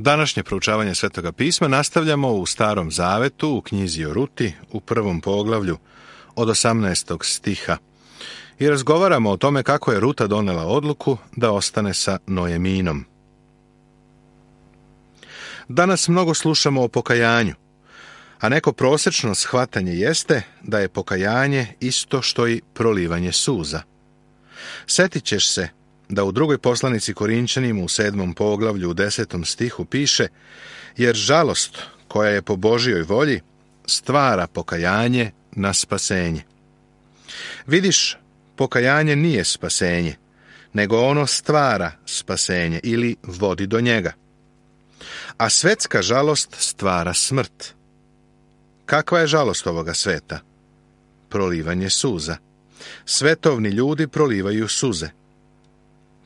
Današnje proučavanje Svetoga pisma nastavljamo u Starom zavetu, u knjizi o Ruti, u 1. poglavlju od 18. stiha. I razgovaramo o tome kako je Ruta donela odluku da ostane sa Noeminom. Danas mnogo slušamo o pokajanju, a neko prosječno shvatanje jeste da je pokajanje isto što i prolivanje suza. Sjetit ćeš se da u drugoj poslanici Korinčanima u 7. poglavlju u 10. stihu piše: jer žalost koja je po Božjoj volji stvara pokajanje na spasenje. Vidiš, pokajanje nije spasenje, nego ono stvara spasenje ili vodi do njega. A svetska žalost stvara smrt. Kakva je žalost ovoga sveta? Prolivanje suza. Svetovni ljudi prolivaju suze.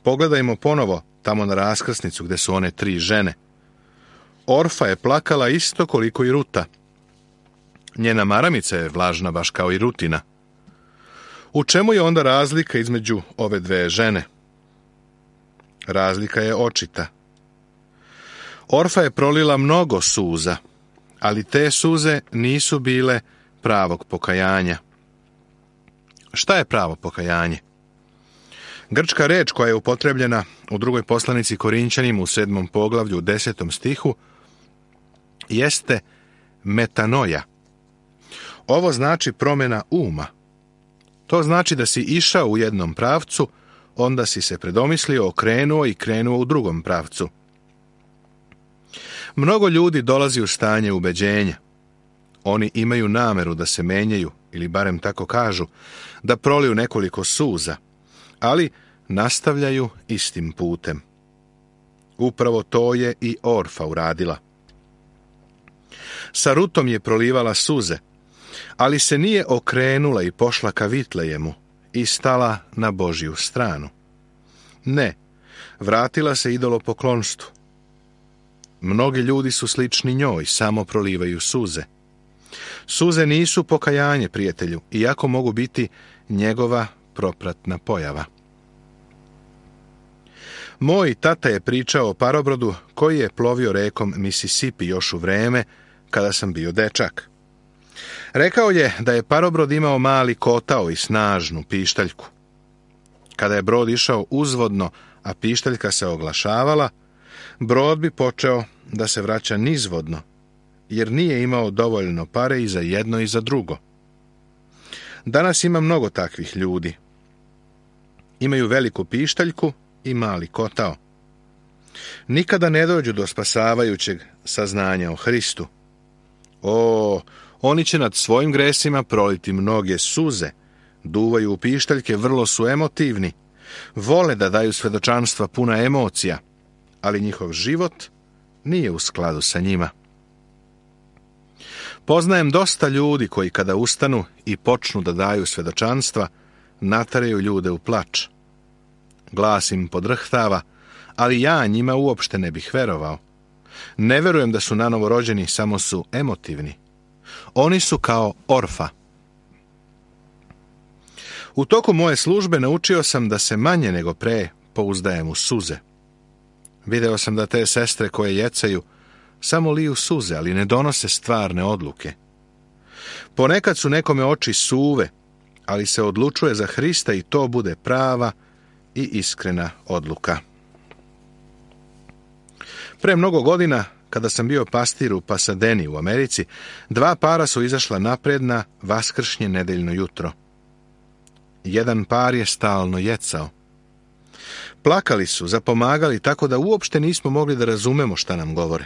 Pogledajmo ponovo tamo na raskrsnicu gdje su one 3 žene. Orfa je plakala isto koliko i Ruta. Njena maramica je vlažna baš kao i Rutina. U čemu je onda razlika između ove 2 žene? Razlika je očita. Orfa je prolila mnogo suza, ali te suze nisu bile pravog pokajanja. Šta je pravo pokajanje? Grčka reč koja je upotrebljena u drugoj poslanici Korinčanima u 7. poglavlju u 10. stihu jeste metanoja. Ovo znači promjena uma. To znači da si išao u jednom pravcu, onda si se predomislio, okrenuo i krenuo u drugom pravcu. Mnogo ljudi dolazi u stanje ubeđenja. Oni imaju nameru da se menjaju, ili barem tako kažu, da proliju nekoliko suza, ali nastavljaju istim putem. Upravo to je i Orfa uradila. Sa Rutom je prolivala suze, ali se nije okrenula i pošla ka Vitlejemu i stala na Božju stranu. Ne, vratila se idolopoklonstvu. Mnogi ljudi su slični njoj, samo prolivaju suze. Suze nisu pokajanje, prijatelju, iako mogu biti njegova propratna pojava. Moj tata je pričao o parobrodu koji je plovio rekom Mississippi još u vreme kada sam bio dečak. Rekao je da je parobrod imao mali kotao i snažnu pištaljku. Kada je brod išao uzvodno, a pištaljka se oglašavala, brod bi počeo da se vraća nizvodno, jer nije imao dovoljno pare i za jedno i za drugo. Danas ima mnogo takvih ljudi. Imaju veliku pištaljku i mali kotao. Nikada ne dođu do spasavajućeg saznanja o Hristu. Oni će nad svojim gresima proliti mnoge suze, duvaju u pištaljke, vrlo su emotivni, vole da daju svedočanstva puna emocija, ali njihov život nije u skladu sa njima. Poznajem dosta ljudi koji kada ustanu i počnu da daju svedočanstva, nataraju ljude u plač. Glas im podrhtava, ali ja njima uopšte ne bih verovao. Ne verujem da su nanovo rođeni, samo su emotivni. Oni su kao Orfa. U toku moje službe naučio sam da se manje nego pre pouzdajem u suze. Video sam da te sestre koje jecaju samo liju suze, ali ne donose stvarne odluke. Ponekad su nekome oči suve, ali se odlučuje za Hrista i to bude prava i iskrena odluka. Pre mnogo godina, kada sam bio pastir u Pasadeni u Americi, 2 para su izašla napred na vaskršnje nedeljno jutro. Jedan par je stalno jecao. Plakali su, zapomagali, tako da uopšte nismo mogli da razumemo šta nam govore.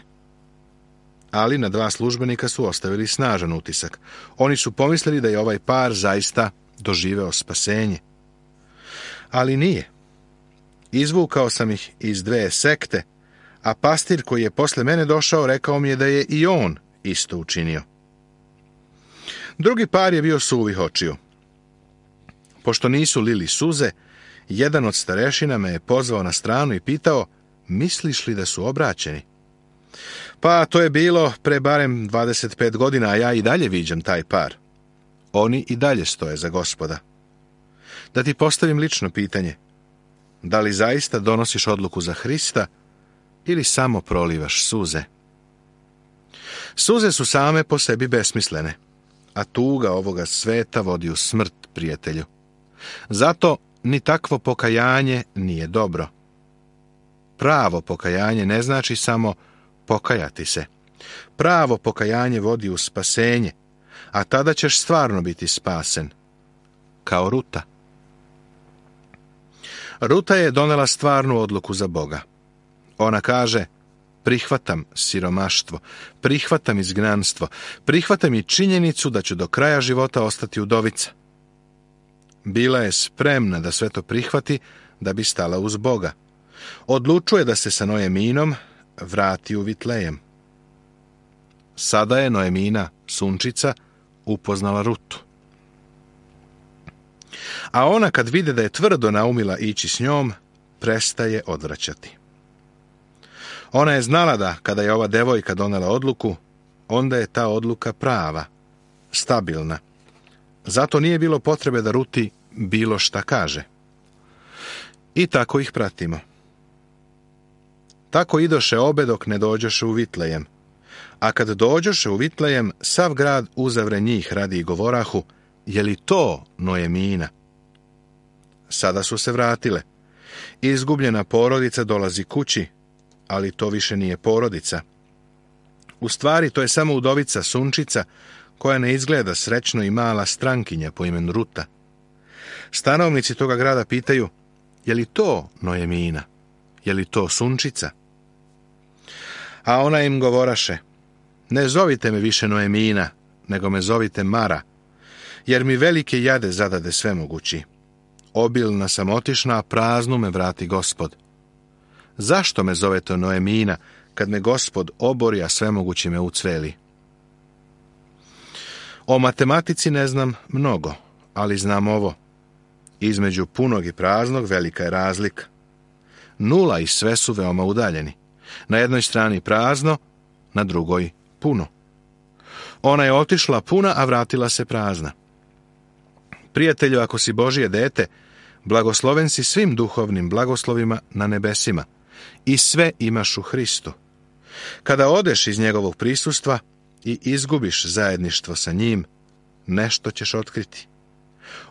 Ali na 2 službenika su ostavili snažan utisak. Oni su pomislili da je ovaj par zaista doživeo spasenje. Ali nije. Izvukao sam ih iz 2 sekte, a pastir koji je posle mene došao rekao mi je da je i on isto učinio. Drugi par je bio suvih očiju. Pošto nisu lili suze, jedan od starešina me je pozvao na stranu i pitao: misliš li da su obraćeni? Pa to je bilo pre barem 25 godina, a ja i dalje viđam taj par. Oni i dalje stoje za Gospoda. Da ti postavim lično pitanje: da li zaista donosiš odluku za Hrista ili samo prolivaš suze? Suze su same po sebi besmislene, a tuga ovoga sveta vodi u smrt, prijatelju. Zato ni takvo pokajanje nije dobro. Pravo pokajanje ne znači samo pokajati se. Pravo pokajanje vodi u spasenje, a tada ćeš stvarno biti spasen. Kao Ruta. Ruta je donela stvarnu odluku za Boga. Ona kaže: prihvatam siromaštvo, prihvatam izgnanstvo, prihvatam i činjenicu da ću do kraja života ostati udovica. Bila je spremna da sve to prihvati da bi stala uz Boga. Odlučuje da se sa Noeminom vrati u Vitlejem. Sada je Noemina, sunčica, upoznala Rutu. A ona, kad vide da je tvrdo naumila ići s njom, prestaje odvraćati. Ona je znala da, kada je ova devojka donela odluku, onda je ta odluka prava, stabilna. Zato nije bilo potrebe da Ruti bilo šta kaže. I tako ih pratimo. Tako idoše obe dok ne dođoše u Vitlejem. A kad dođoše u Vitlejem, sav grad uzavre njih radi i govorahu: je li to Noemina? Sada su se vratile. Izgubljena porodica dolazi kući, ali to više nije porodica. U stvari, to je samo udovica sunčica, koja ne izgleda srećno i mala strankinja po imenu Ruta. Stanovnici toga grada pitaju: je li to Noemina? Je li to sunčica? A ona im govoraše: ne zovite me više Noemina, nego me zovite Mara, jer mi velike jade zadade svemogući. Obilna sam otišna, a praznu me vrati Gospod. Zašto me zovete Noemina, kad me Gospod obori, a svemogući me ucveli? O matematici ne znam mnogo, ali znam ovo: između punog i praznog velika je razlika. Nula i sve su veoma udaljeni. Na jednoj strani prazno, na drugoj puno. Ona je otišla puna, a vratila se prazna. Prijatelju, ako si Božje dete, blagosloven si svim duhovnim blagoslovima na nebesima i sve imaš u Hristu. Kada odeš iz njegovog prisustva i izgubiš zajedništvo sa njim, nešto ćeš otkriti.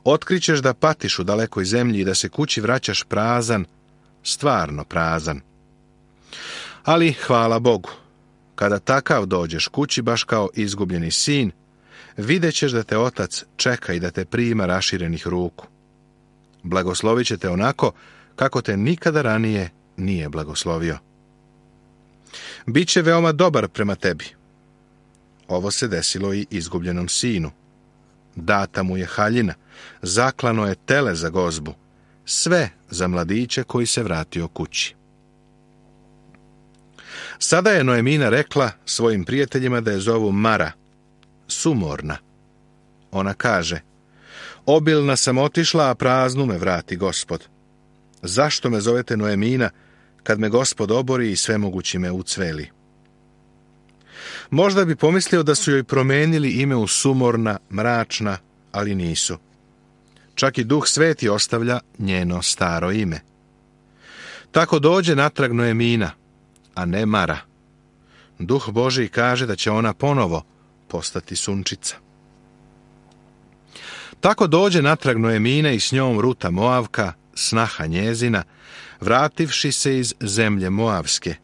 Otkrićeš da patiš u dalekoj zemlji i da se kući vraćaš prazan, stvarno prazan. Ali, hvala Bogu, kada takav dođeš kući baš kao izgubljeni sin, vidjet ćeš da te otac čeka i da te prima raširenih ruku. Blagoslovit će te onako kako te nikada ranije nije blagoslovio. Biće veoma dobar prema tebi. Ovo se desilo i izgubljenom sinu. Data mu je haljina, zaklano je tele za gozbu, sve za mladiće koji se vratio kući. Sada je Noemina rekla svojim prijateljima da je zovu Mara, sumorna. Ona kaže: obilna sam otišla, a praznu me vrati Gospod. Zašto me zovete Noemina, kad me Gospod obori i svemogući me ucveli? Možda bi pomislio da su joj promenili ime u sumorna, mračna, ali nisu. Čak i Duh Sveti ostavlja njeno staro ime. Tako dođe natrag Noemina, a ne Mara. Duh Božji kaže da će ona ponovo postati sunčica. Tako dođe natrag Noemina i s njom Ruta Moavka, snaha njezina, vrativši se iz zemlje Moavske,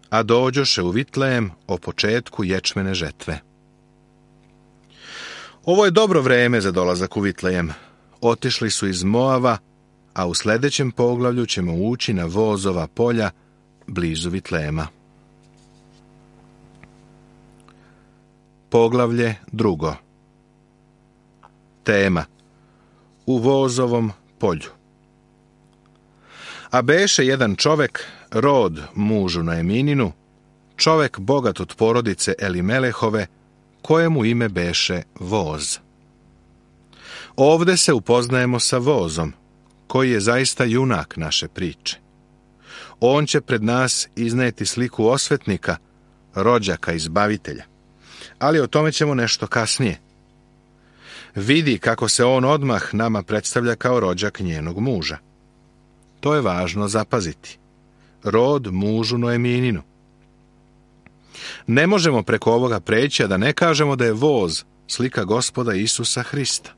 a dođoše u Vitlejem o početku ječmene žetve. Ovo je dobro vreme za dolazak u Vitlejem. Otišli su iz Moava, a u sljedećem poglavlju ćemo ući na Vozova polja blizu Vitlejema. Poglavlje 2. Tema: u Vozovom polju. A beše jedan čovek, rod mužu Noemininu, čovek bogat od porodice Elimelehove, kojemu ime beše Voz. Ovde se upoznajemo sa Vozom, koji je zaista junak naše priče. On će pred nas izneti sliku osvetnika, rođaka izbavitelja, ali o tome ćemo nešto kasnije. Vidi kako se on odmah nama predstavlja kao rođak njenog muža. To je važno zapaziti. rod mužu Noemininu. Ne možemo preko ovoga preći, a da ne kažemo da je voz slika Gospoda Isusa Hrista.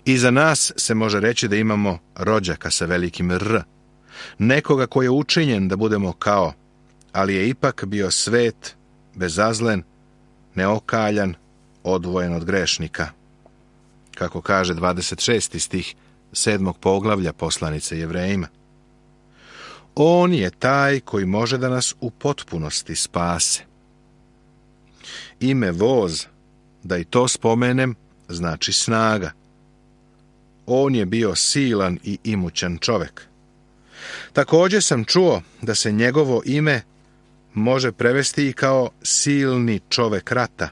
I za nas se može reći da imamo rođaka sa velikim R, nekoga koji je učinjen da budemo kao, ali je ipak bio svet, bezazlen, neokaljan, odvojen od grešnika. Kako kaže 26. stih 7. poglavlja poslanice Jevrejima. On je taj koji može da nas u potpunosti spase. Ime voz, da i to spomenem, znači snaga. On je bio silan i imućan čovjek. Također sam čuo da se njegovo ime može prevesti i kao silni čovjek rata.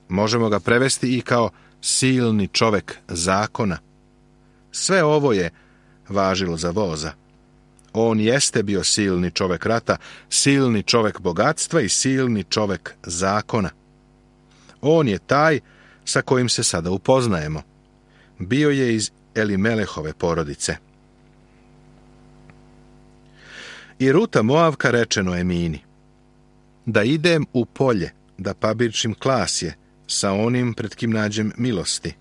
Možemo ga prevesti i kao silni čovjek zakona. Sve ovo je važilo za voza. On jeste bio silni čovjek rata, silni čovjek bogatstva i silni čovjek zakona. On je taj sa kojim se sada upoznajemo. Bio je iz Elimelehove porodice. I Ruta Moavka reče Noemini: da idem u polje, da pabirčim klasje sa onim pred kim nađem milosti.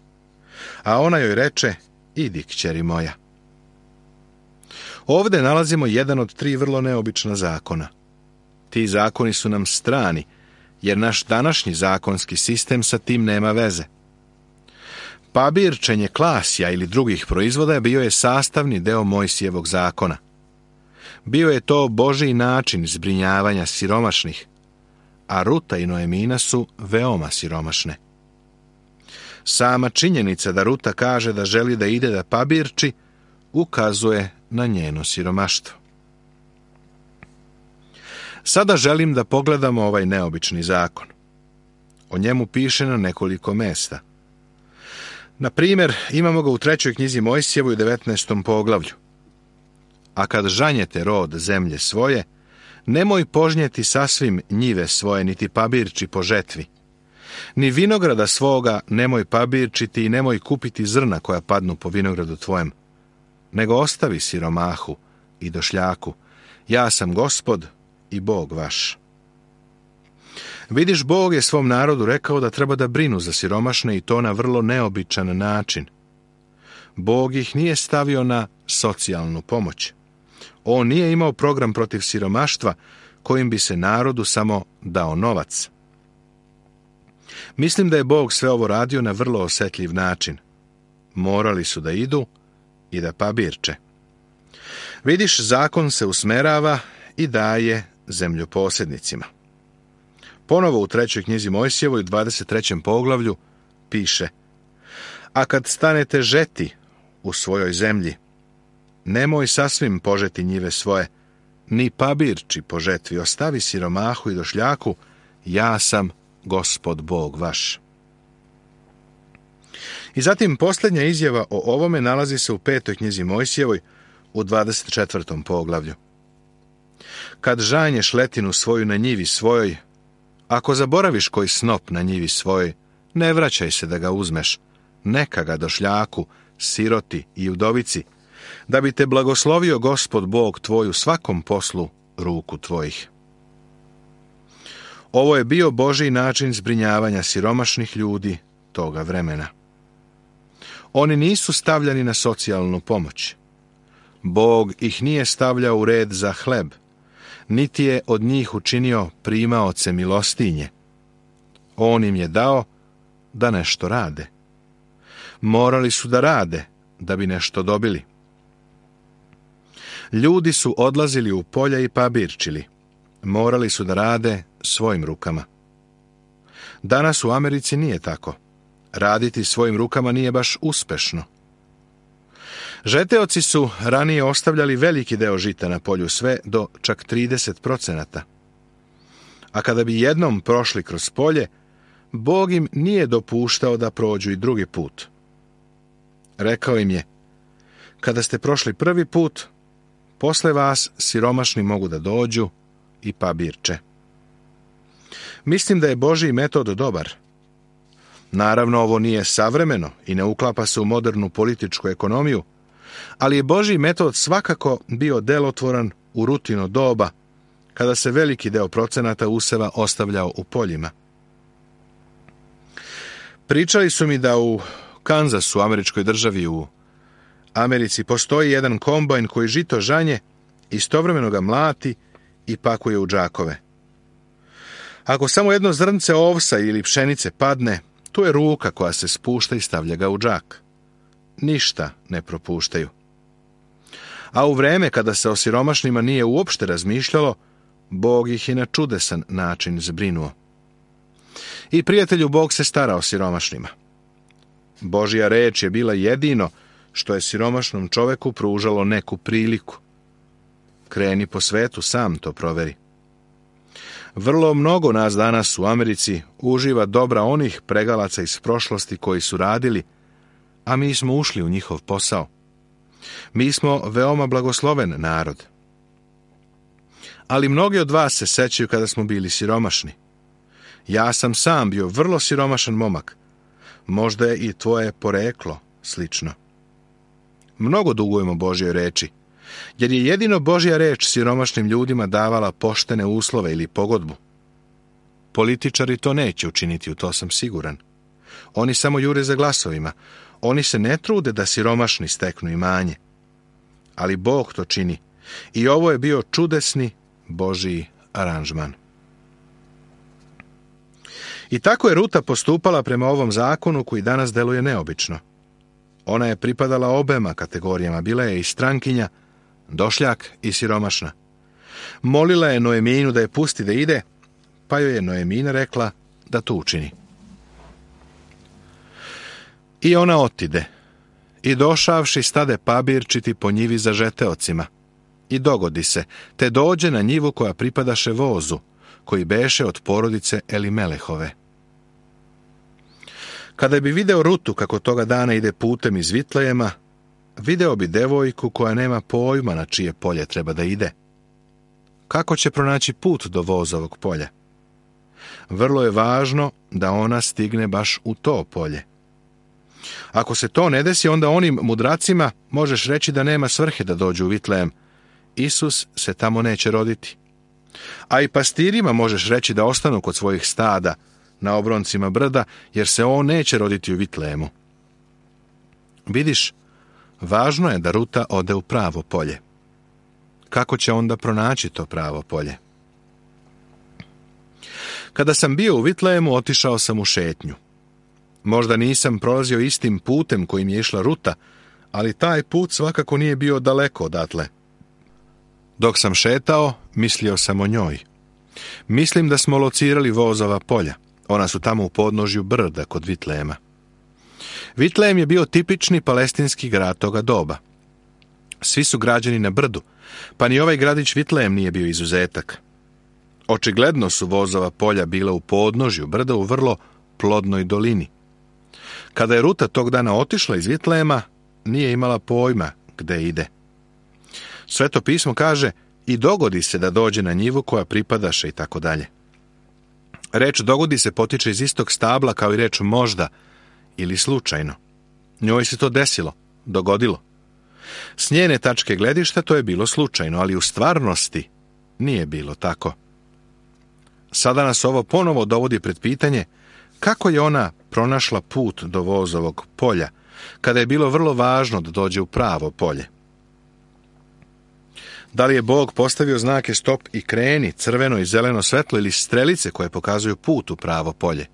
A ona joj reče: idi, kćeri moja. Ovdje nalazimo jedan od 3 vrlo neobična zakona. Ti zakoni su nam strani, jer naš današnji zakonski sistem sa tim nema veze. Pabirčenje klasja ili drugih proizvoda bio je sastavni deo Mojsijevog zakona. Bio je to Božji način zbrinjavanja siromašnih, a Ruta i Noemina su veoma siromašne. Sama činjenica da Ruta kaže da želi da ide da pabirči ukazuje na njeno siromaštvo. Sada želim da pogledamo ovaj neobični zakon. O njemu piše na nekoliko mesta. Na primjer, imamo ga u 3. knjizi Mojsijevoj u 19. poglavlju. A kad žanjete rod zemlje svoje, nemoj požnjeti sasvim njive svoje, niti pabirči po žetvi. Ni vinograda svoga nemoj pabirčiti i nemoj kupiti zrna koja padnu po vinogradu tvojem, nego ostavi siromahu i došljaku. Ja sam Gospod i Bog vaš. Vidiš, Bog je svom narodu rekao da treba da brinu za siromašne i to na vrlo neobičan način. Bog ih nije stavio na socijalnu pomoć. On nije imao program protiv siromaštva kojim bi se narodu samo dao novac. Mislim da je Bog sve ovo radio na vrlo osjetljiv način. Morali su da idu i da pabirče. Vidiš, zakon se usmerava i daje zemljoposjednicima. Ponovo u 3. knjizi Mojsijevoj, 23. poglavlju, piše: a kad stanete žeti u svojoj zemlji, nemoj sasvim požeti njive svoje, ni pabirči po žetvi, ostavi siromahu i došljaku, ja sam Gospod Bog vaš. I zatim posljednja izjava o ovome nalazi se u 5. knjizi Mojsijevoj u 24. poglavlju. Kad žanješ letinu svoju na njivi svojoj, ako zaboraviš koji snop na njivi svojoj, ne vraćaj se da ga uzmeš, neka ga došljaku, siroti i udovici, da bi te blagoslovio Gospod Bog tvoj u svakom poslu ruku tvojih. Ovo je bio Božji način zbrinjavanja siromašnih ljudi toga vremena. Oni nisu stavljani na socijalnu pomoć. Bog ih nije stavljao u red za hleb, niti je od njih učinio primaoce milostinje. On im je dao da nešto rade. Morali su da rade da bi nešto dobili. Ljudi su odlazili u polja i pabirčili. Morali su da rade svojim rukama. Danas u Americi nije tako. Raditi svojim rukama nije baš uspešno. Žeteoci su ranije ostavljali veliki deo žita na polju, sve do čak 30%. A kada bi jednom prošli kroz polje, Bog im nije dopuštao da prođu i drugi put. Rekao im je: kada ste prošli prvi put, posle vas siromašni mogu da dođu i pabirče. Mislim da je Božji metod dobar. Naravno, ovo nije savremeno i ne uklapa se u modernu političku ekonomiju, ali je Božji metod svakako bio delotvoran u Rutino doba, kada se veliki deo procenata useva ostavljao u poljima. Pričali su mi da u Kanzasu, američkoj državi u Americi, postoji jedan kombajn koji žito žanje, istovremeno ga mlati i pakuje u džakove. Ako samo jedno zrnce ovsa ili pšenice padne, tu je ruka koja se spušta i stavlja ga u džak. Ništa ne propuštaju. A u vreme kada se o siromašnima nije uopšte razmišljalo, Bog ih je na čudesan način zbrinuo. I prijatelju, Bog se stara o siromašnima. Božja reč je bila jedino što je siromašnom čoveku pružalo neku priliku. Kreni po svetu, sam to proveri. Vrlo mnogo nas danas u Americi uživa dobra onih pregalaca iz prošlosti koji su radili, a mi smo ušli u njihov posao. Mi smo veoma blagosloven narod. Ali mnogi od vas se sećaju kada smo bili siromašni. Ja sam sam bio vrlo siromašan momak. Možda je i tvoje poreklo slično. Mnogo dugujemo Božjoj reči, jer je jedino Božja reč siromašnim ljudima davala poštene uslove ili pogodbu. Političari to neće učiniti, u to sam siguran. Oni samo jure za glasovima. Oni se ne trude da siromašni steknu imanje. Ali Bog to čini. I ovo je bio čudesni Božji aranžman. I tako je Ruta postupala prema ovom zakonu koji danas deluje neobično. Ona je pripadala obema kategorijama, bila je i strankinja, došljak i siromašna. Molila je Noeminu da je pusti da ide, pa joj je Noemina rekla da to učini. I ona otide, i došavši stade pabirčiti po njivi za žeteocima. I dogodi se, te dođe na njivu koja pripadaše vozu, koji beše od porodice Elimelehove. Kada bi video Rutu kako toga dana ide putem iz Vitlejema, video bi devojku koja nema pojma na čije polje treba da ide. Kako će pronaći put do vozovog polja? Vrlo je važno da ona stigne baš u to polje. Ako se to ne desi, onda onim mudracima možeš reći da nema svrhe da dođu u Vitlejem. Isus se tamo neće roditi. A i pastirima možeš reći da ostanu kod svojih stada na obroncima brda, jer se on neće roditi u Vitlejemu. Vidiš, važno je da Ruta ode u pravo polje. Kako će onda pronaći to pravo polje? Kada sam bio u Vitlejemu, otišao sam u šetnju. Možda nisam prolazio istim putem kojim je išla Ruta, ali taj put svakako nije bio daleko odatle. Dok sam šetao, mislio sam o njoj. Mislim da smo locirali vozova polja. Ona su tamo u podnožju brda kod Vitlejema. Vitlejem je bio tipični palestinski grad toga doba. Svi su građeni na brdu, pa ni ovaj gradić Vitlejem nije bio izuzetak. Očigledno su vozova polja bila u podnožju brda u vrlo plodnoj dolini. Kada je Ruta tog dana otišla iz Vitlejema, nije imala pojma gde ide. Sveto pismo kaže i dogodi se da dođe na njivu koja pripadaše i tako dalje. Reč dogodi se potiče iz istog stabla kao i reč možda ili slučajno. Njoj se to desilo, dogodilo. S njene tačke gledišta to je bilo slučajno, ali u stvarnosti nije bilo tako. Sada nas ovo ponovo dovodi pred pitanje kako je ona pronašla put do vozovog polja, kada je bilo vrlo važno da dođe u pravo polje. Da li je Bog postavio znake stop i kreni, crveno i zeleno svetlo ili strelice koje pokazuju put u pravo polje?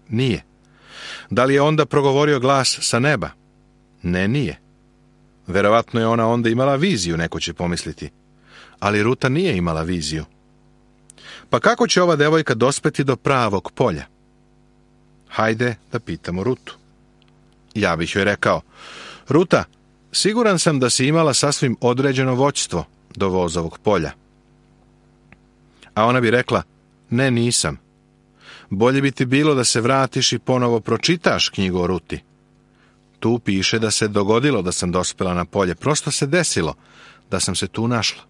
Nije. Da li je onda progovorio glas sa neba? Ne, nije. Verovatno je ona onda imala viziju, neko će pomisliti. Ali Ruta nije imala viziju. Pa kako će ova devojka dospeti do pravog polja? Hajde da pitamo Rutu. Ja bih joj rekao, Ruta, siguran sam da si imala sasvim određeno vođstvo do vozovog polja. A ona bi rekla, ne, nisam. Bolje bi ti bilo da se vratiš i ponovo pročitaš knjigu o Ruti. Tu piše da se dogodilo da sam dospela na polje. Prosto se desilo da sam se tu našla.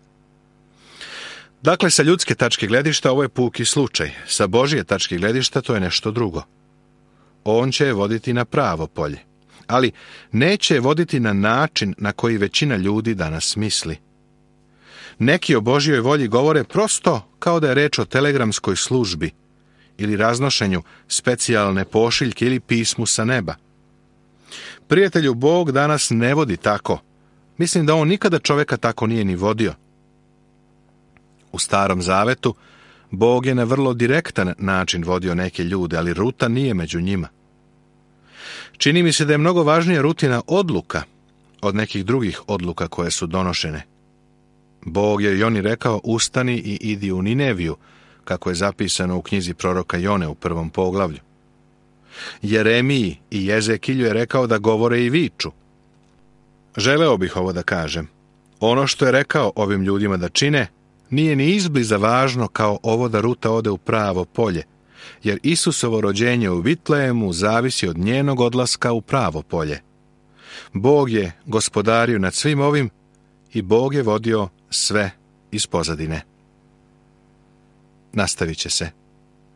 Dakle, sa ljudske tačke gledišta ovo je puki slučaj. Sa Božje tačke gledišta to je nešto drugo. On će je voditi na pravo polje. Ali neće je voditi na način na koji većina ljudi danas misli. Neki o Božjoj volji govore prosto kao da je reč o telegramskoj službi ili raznošenju specijalne pošiljke ili pismu sa neba. Prijatelju, Bog danas ne vodi tako. Mislim da on nikada čoveka tako nije ni vodio. U Starom Zavetu Bog je na vrlo direktan način vodio neke ljude, ali ruta nije među njima. Čini mi se da je mnogo važnija rutina odluka od nekih drugih odluka koje su donošene. Bog je Joni rekao, ustani i idi u Nineviju, kako je zapisano u knjizi proroka Jone u 1. poglavlju. Jeremiji i Jezekilju je rekao da govore i viču. Želeo bih ovo da kažem. Ono što je rekao ovim ljudima da čine, nije ni izbliza važno kao ovo da ruta ode u pravo polje, jer Isusovo rođenje u Vitlejemu zavisi od njenog odlaska u pravo polje. Bog je gospodario nad svim ovim i Bog je vodio sve iz pozadine. Nastavit će se.